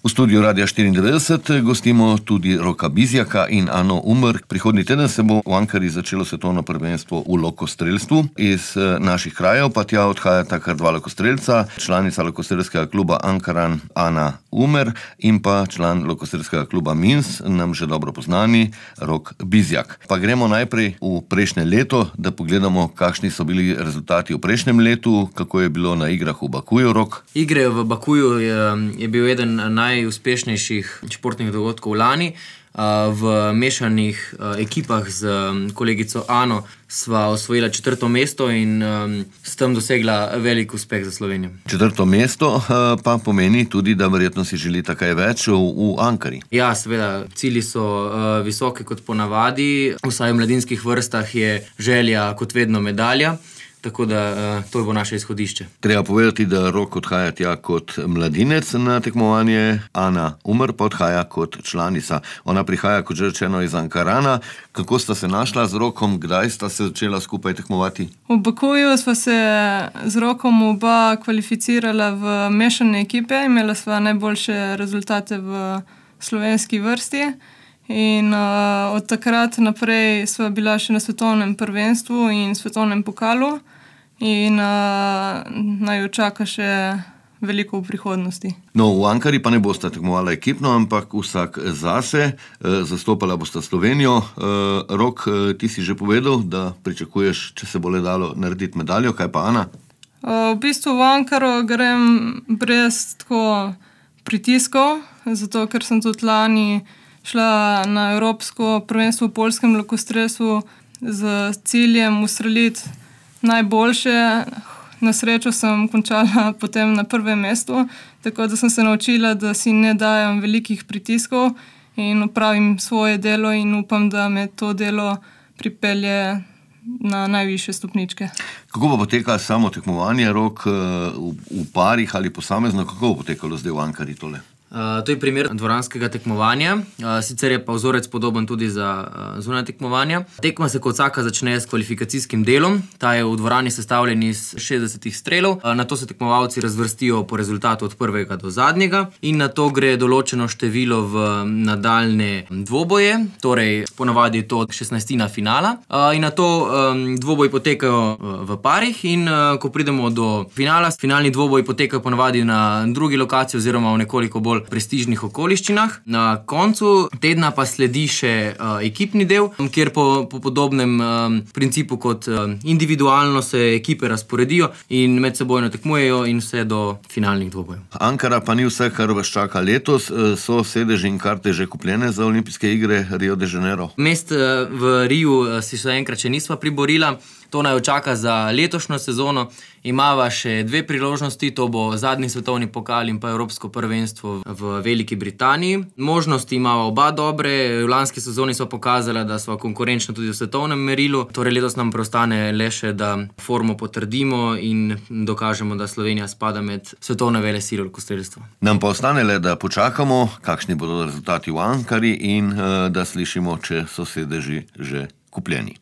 V studiu Radia 94 gostimo tudi Roka Bizjaka in Ano Umr. Prihodnji teden se bo v Ankari začelo svetovno prvenstvo v lokostrelstvu. Iz naših krajev pa tja odhajata kar dva lokostrelca, članica lokostrelskega kluba Ankaran Ana Umr in pa član lokostrelskega kluba Minsk, nam že dobro poznani Rok Bizjak. Pa gremo najprej v prejšnje leto, da pogledamo, kakšni so bili rezultati v prejšnjem letu, kako je bilo na igrah v Bakuju, Rok. Igre v Bakuju je bil eden najuspešnejših športnih dogodkov lani. V mešanih ekipah z kolegico Ano sva osvojila 4. mesto in s tem dosegla velik uspeh za Slovenijo. 4. mesto pa pomeni tudi, da verjetno si želita kaj več v Ankari. Ja, seveda, cilji so visoki kot ponavadi, vsaj v mladinskih vrstah je želja kot vedno medalja. Tako da to bo naše izhodišče. Treba povedati, da Rok odhaja tja kot mladinec na tekmovanje, Ana Umr pa odhaja kot članica. Ona prihaja, kot že rečeno, iz Ankarana. Kako sta se našla z Rokom, kdaj sta se začela skupaj tekmovati? V Bakuju sva se z Rokom oba kvalificirala v mešane ekipe, imela sva najboljše rezultate v slovenski vrsti. In od takrat naprej sva bila še na svetovnem prvenstvu in svetovnem pokalu in naj jo čaka še veliko v prihodnosti. No, v Ankari pa ne bosta tekmovala ekipno, ampak vsak zase, zastopala bosta Slovenijo. Rok, ti si že povedal, da pričakuješ, če se bo le dalo narediti medaljo, kaj pa Ana? V bistvu v Ankaro grem brez tako pritiskov, zato ker sem tudi lani šla na Evropsko prvenstvo v poljskem lokostrelstvu z ciljem ustreliti najboljše. Na srečo sem končala potem na 1. mestu, tako da sem se naučila, da si ne dajam velikih pritiskov in opravim svoje delo in upam, da me to delo pripelje na najvišje stopničke. Kako bo potekalo samo tekmovanje, Rok, v parih ali posamezno? Kako bo potekalo zdaj v Ankari tole? To je primer dvoranskega tekmovanja, sicer je pa vzorec podoben tudi za zunanja tekmovanja. Tekma se kot vsaka začne s kvalifikacijskim delom, ta je v dvorani sestavljen iz 60 strelov, nato se tekmovalci razvrstijo po rezultatu od prvega do zadnjega in nato gre določeno število v nadaljne dvoboje, torej ponavadi je to 16. finala in nato dvoboji potekajo v parih in ko pridemo do finala, finalni dvoboji potekajo ponavadi na drugi lokaciji oziroma v nekoliko bolj prestižnih okoliščinah. Na koncu tedna pa sledi še ekipni del, kjer po podobnem principu kot individualno se ekipe razporedijo in medsebojno tekmujejo in vse do finalnih dvobojev. Ankara pa ni vse, kar vas čaka letos. So sedeži in karte že kupljene za olimpijske igre Rio de Janeiro? Mest v Riu si še enkrat še nisva priborila. To naj jo čaka za letošnjo sezono. Imava še 2 priložnosti, to bo zadnji svetovni pokal in pa Evropsko prvenstvo v Veliki Britaniji. Možnosti imava oba dobre, v lanski sezoni so pokazala, da sva konkurenčna tudi v svetovnem merilu. Torej letos nam preostane le še, da formo potrdimo in dokažemo, da Slovenija spada med svetovne velesile v lokostrelstvu. Nam pa ostane le, da počakamo, kakšni bodo rezultati v Ankari in da slišimo, če so sedeži že kupljeni.